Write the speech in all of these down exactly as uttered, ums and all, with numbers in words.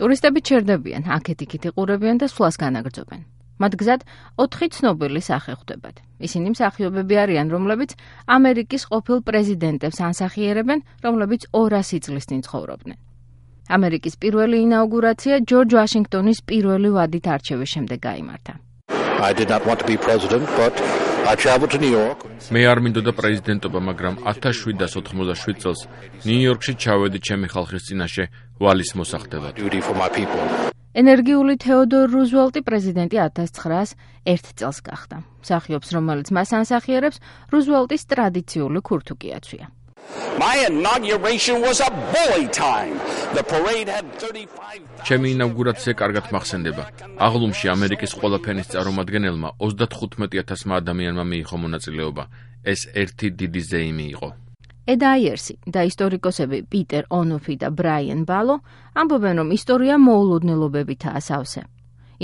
ტურისტები ჩერდებიან, აქეთ-იქით იყურებიან და სვლას განაგრძობენ. მათ გზად ოთხი ცნობილი სახე ხვდებათ. ისინი მსახიობები არიან, რომლებიც ამერიკის ყოფილ პრეზიდენტებს ანსახიერებენ, რომლებიც ორასი წლის წინ ცხოვრობდნენ. ამერიკის პირველი ინაუგურაცია ჯორჯ ვაშინგტონის პირველი ვადით არჩევის შემდეგ გაიმართა. I did not want to be president, but I traveled to New York. მე არ მინდოდა პრეზიდენტობა, მაგრამ ათას შვიდსას ოთხმოცდაშვიდ წელს ნიუ-იორკში ჩავედი ჩემი ხალხის წინაშე ვალის მოსახდელად. ენერგიული თეოდორ რუზველტი პრეზიდენტი ათას ცხრაას ერთ წელს გახდა. მსახიობს, რომელიც მას ანსახიერებს, რუზველტის ტრადიციული ქურთუკი აცვია. My inauguration was a bully time. The parade had thirty-five ჩემი ინაუგურაცია კარგად მახსენდება. აღლუმში ამერიკის ყველა ფენის წარმომადგენელმა ოცდათხუთმეტი ათასმა ადამიანმა მიიღო მონაწილეობა. ეს ერთი დიდი ზეიმი იყო. ედ აიერსი და ისტორიკოსები პიტერ ონოფი და ბრაიან ბალო ამბობენ, რომ ისტორია მოულოდნელობებითაა სავსე.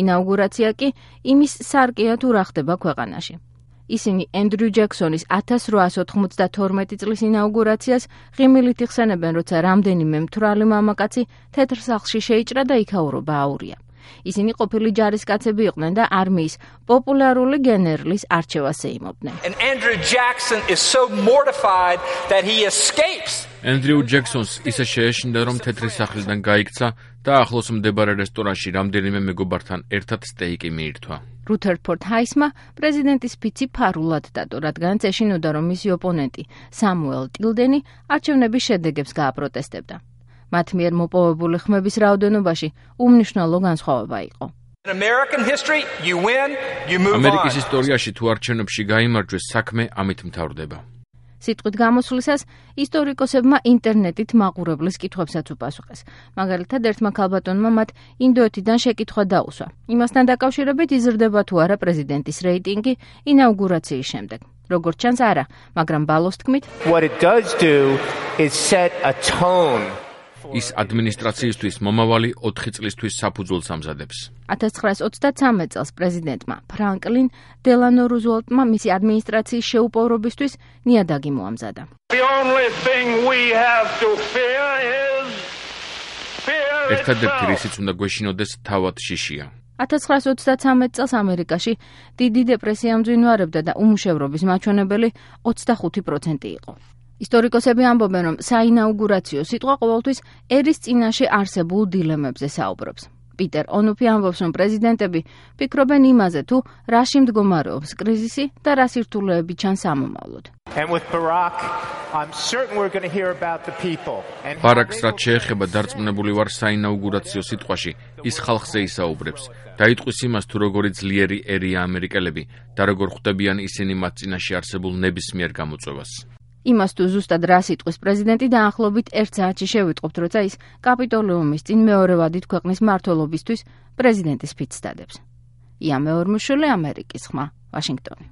ინაუგურაცია კი იმის სარკეა თუ რა ხდება ქვეყანაში. ისინი ენდრიუ ჯექსონის ათას რვაას ოთხმოცდათორმეტი წლის ინაუგურაციას ღიმილით იხსენებენ, როცა რამდენიმე მთვრალი მამაკაცი თეთრ სახლში შეიჭრა და იქაურობა აურია. ისინი ყოფილი ჯარისკაცები იყვნენ და არმიის პოპულარული გენერლის არჩევას ეიმობდნენ. ენდრიუ ჯექსონს ისე შეეშინდა, რომ თეთრი სახლიდან გაიქცა და ახლოს მდებარე რესტორანში რამდენიმე მეგობართან ერთად სტეიკი მიირთვა. რუთერფორდ ჰაისმა პრეზიდენტის ფიცი ფარულად დადო, რადგან ეშინოდა, რომ მისი ოპონენტი სამუელ ტილდენი არჩევნების შედეგებს გააპროტესტებდა. მათ მიერ მოპოვებული ხმების რაოდენობაში უმნიშვნელო განსხვავება იყო. ამერიკის ისტორიაში თუ არჩევნებში გაიმარჯვეს, საქმე ამით მთავრდება. სიტყვით გამოსვლისას ისტორიკოსებმა ინტერნეტით მაყურებლის კითხვებსაც უპასუხეს. მაგალითად, ერთმა ქალბატონმა მათ ინდოეთიდან შეკითხვა დაუსვა. იმასთან დაკავშირებით იზრდება თუ არა პრეზიდენტის რეიტინგი ინაუგურაციის შემდეგ. როგორც ჩანს, არა, მაგრამ ბალოს თქმით, ის ადმინისტრაციისთვის მომავალი ოთხი წლისთვის საფუძველს ამზადებს. ათას ცხრაას ოცდათრამეტ წელს პრეზიდენტმა ფრანკლინ დელანო რუზველტმა მისი ადმინისტრაციის შეუპოვრობისთვის ნიადაგი მოამზადა. ერთადერთი რისიც უნდა გვეშინოდეს თავად შიშია. ათას ცხრაას ოცდათრამეტ წელს ამერიკაში დიდი დეპრესია მძვინვარებდა და უმუშევრობის მაჩვენებელი ოცდახუთი პროცენტი იყო. ისტორიკოსები ამბობენ, რომ საინაუგურაციო სიტყვა ყოველთვის ერის წინაშე არსებულ დილემებზე საუბრობს. პიტერ ონოფი ამბობს, რომ პრეზიდენტები ფიქრობენ იმაზე, თუ რაში მდგომარეობს კრიზისი და რა სირთულეები ჩანს ამომავლოდ. ბარაკს რაც შეეხება დარწმუნებული ვარ საინაუგურაციო სიტყვაში, ის ხალხზე ისაუბრებს. დაიტყვის იმას, თუ როგორი ძლიერი ერია ამერიკელები და როგორ ხვდებიან ისინი მათ წინაშე არსებულ ნებისმიერ გამოწვევას. იმას თუ ზუსტად რა სიტყვის პრეზიდენტი დაახლოებით ერთ საათში შევიტყობთ, როცა ის კაპიტოლიუმის წინ მეორე ვადით ქვეყნის მმართველობისთვის პრეზიდენტის ფიცს დადებს. ია მეორმუშვილი, ამერიკის ხმა, ვაშინგტონი.